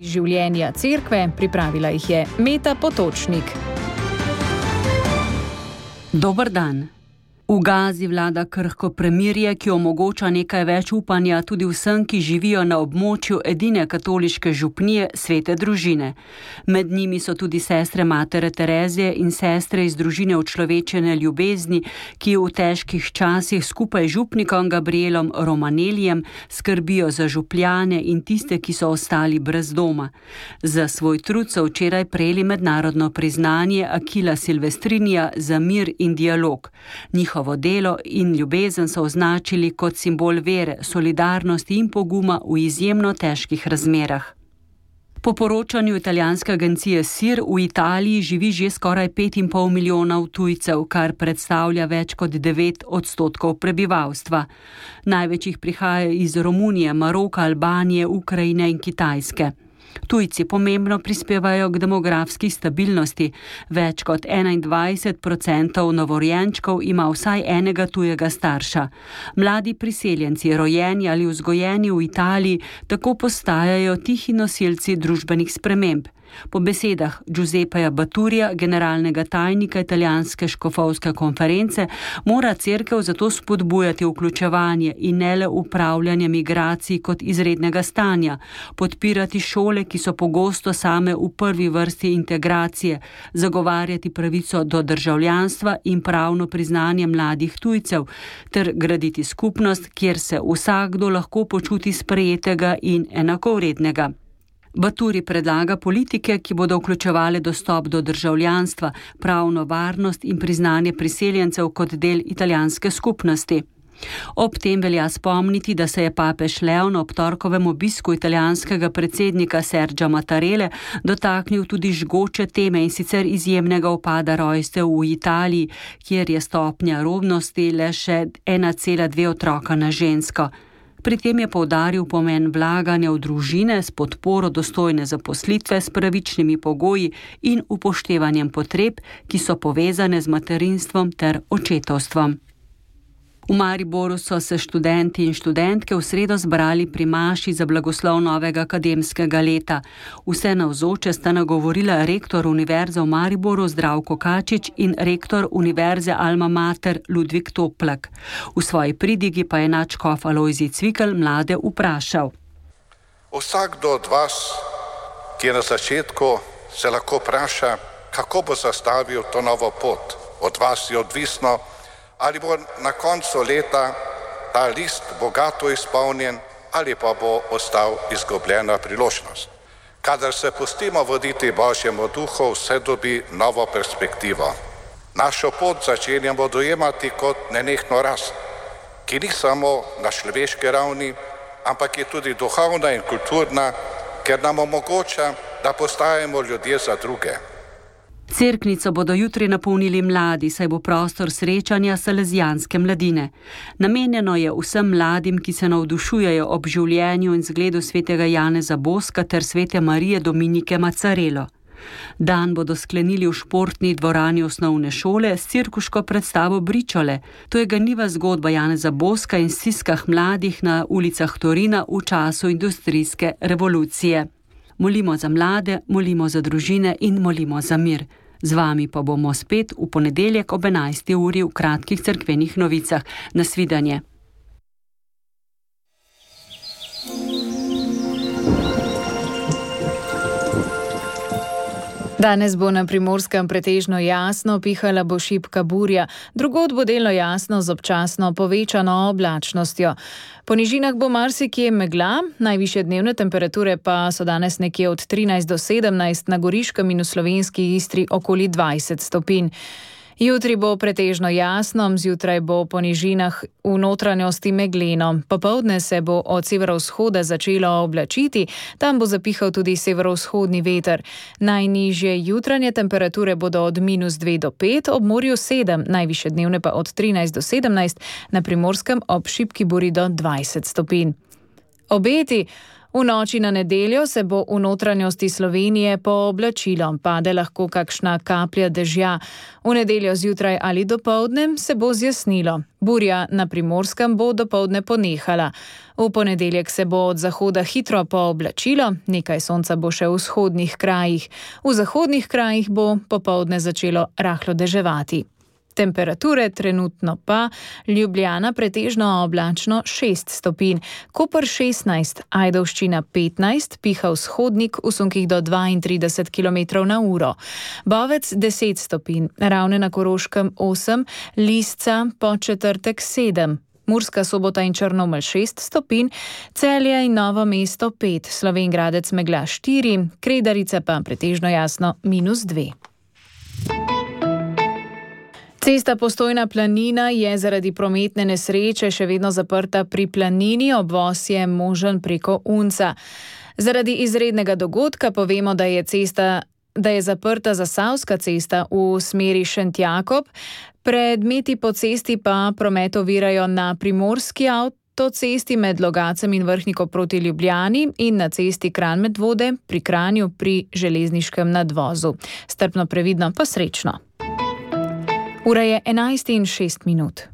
Življenja cerkve, pripravila jih je Meta Potočnik. Dober dan. V Gazi vlada krhko premirje, ki omogoča nekaj več upanja tudi vsem, ki živijo na območju edine katoliške župnije Svete družine. Med njimi so tudi sestre Matere Terezije in sestre iz družine Učlovečene ljubezni, ki v težkih časih skupaj z župnikom Gabrielom Romanelijem skrbijo za župljane in tiste, ki so ostali brez doma. Za svoj trud so včeraj prejeli mednarodno priznanje Akila Silvestrinija za mir in dialog. Njihovo delo in ljubezen so označili kot simbol vere, solidarnosti in poguma v izjemno težkih razmerah. Po poročanju italijanske agencije SIR v Italiji živi že skoraj 5,5 milijonov tujcev, kar predstavlja več kot 9% prebivalstva. Največ jih prihaja iz Romunije, Maroka, Albanije, Ukrajine in Kitajske. Tujci pomembno prispevajo k demografski stabilnosti. Več kot 21% novorojenčkov ima vsaj enega tujega starša. Mladi priseljenci, rojeni ali vzgojeni v Italiji, tako postajajo tihi nosilci družbenih sprememb. Po besedah Giuseppeja Baturija, generalnega tajnika italijanske škofovske konference, mora cerkev zato spodbujati vključevanje in ne le upravljanje migracij kot izrednega stanja, podpirati šole, ki so pogosto same v prvi vrsti integracije, zagovarjati pravico do državljanstva in pravno priznanje mladih tujcev, ter graditi skupnost, kjer se vsakdo lahko počuti sprejetega in enakovrednega. Baturi predlaga politike, ki bodo vključevale dostop do državljanstva, pravno varnost in priznanje priseljencev kot del italijanske skupnosti. Ob tem velja spomniti, da se je papež Leon ob torkovem obisku italijanskega predsednika Sergia Mattarelle dotaknil tudi žgoče teme, in sicer izjemnega upada rojstev v Italiji, kjer je stopnja rodnosti le še 1,2 otroka na žensko. Pri tem je poudaril pomen vlaganja v družine s podporo dostojne zaposlitve s pravičnimi pogoji in upoštevanjem potreb, ki so povezane z materinstvom ter očetovstvom. V Mariboru so se študenti in študentke v sredo zbrali pri maši za blagoslov novega akademskega leta. Vse navzoče sta nagovorila rektor Univerze v Mariboru Zdravko Kačič in rektor Univerze Alma Mater Ludvik Toplak. V svoji pridigi pa je nadškof Alojzij Cvikl mlade vprašal. Vsakdo od vas, ki je na začetku, se lahko vpraša, kako bo zastavil to novo pot. Od vas je odvisno, ali bo na koncu leta ta list bogato izpolnjen ali pa bo ostal izgubljena priložnost. Kadar se pustimo voditi Božjemu duhu, vse dobi novo perspektivo. Našo pot začenjamo dojemati kot nenehno rast, ki ni samo na človeški ravni, ampak je tudi duhovna in kulturna, ker nam omogoča, da postajamo ljudje za druge. Cerknico bodo jutri napolnili mladi, saj bo prostor srečanja salezijanske mladine. Namenjeno je vsem mladim, ki se navdušujejo ob življenju in zgledu svetega Janeza Boska ter svete Marije Dominike Macarelo. Dan bodo sklenili v športni dvorani osnovne šole s cirkuško predstavo Bričole. To je ganljiva zgodba Janeza Boska in stiskah mladih na ulicah Torina v času industrijske revolucije. Molimo za mlade, molimo za družine in molimo za mir. Z vami pa bomo spet v ponedeljek ob 11. uri v kratkih cerkvenih novicah. Nasvidenje. Danes bo na Primorskem pretežno jasno, pihala bo šibka burja, drugod bo delno jasno z občasno povečano oblačnostjo. Po nižinah bo marsikje megla, najvišje dnevne temperature pa so danes nekje od 13 do 17, na Goriškem in v slovenski Istri okoli 20 stopinj. Jutri bo pretežno jasno, zjutraj bo po nižinah v notranjosti megleno. Popoldne se bo od severovzhoda začelo oblačiti, tam bo zapihal tudi severovzhodni veter. Najnižje jutranje temperature bodo od -2 do 5, ob morju 7, najvišje dnevne pa od 13 do 17, na Primorskem ob šibki buri do 20 stopinj. Obeti. V noči na nedeljo se bo v notranjosti Slovenije pooblačilo, pade lahko kakšna kaplja dežja. V nedeljo zjutraj ali dopoldne se bo zjasnilo. Burja na Primorskem bo dopoldne ponehala. V ponedeljek se bo od zahoda hitro pooblačilo, nekaj sonca bo še v vzhodnih krajih. V zahodnih krajih bo popoldne začelo rahlo deževati. Temperature trenutno pa: Ljubljana pretežno oblačno 6 stopinj, Koper 16, Ajdovščina 15, piha vzhodnik v sunkih do 32 km/h, Bovec 10 stopinj, Ravne na Koroškem 8, Lisca po četrtek 7, Murska Sobota in Črnomelj 6 stopinj, Celje in Novo mesto 5, Slovenj Gradec megla 4, Kredarice pa pretežno jasno -2. Cesta Postojna Planina je zaradi prometne nesreče še vedno zaprta pri Planini, obvoz je možen preko Unca. Zaradi izrednega dogodka povemo, da je zaprta Zasavska cesta v smeri Šentjakob, predmeti po cesti pa promet ovirajo na Primorski avtocesti med Logacem in Vrhniko proti Ljubljani in na cesti Kranj-Medvode pri Kranju pri železniškem nadvozu. Strpno, previdno pa srečno. Ura je 11:06.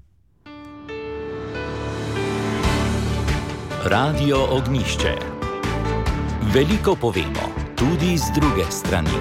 Radio Ognjišče. Veliko povemo, tudi z druge strani.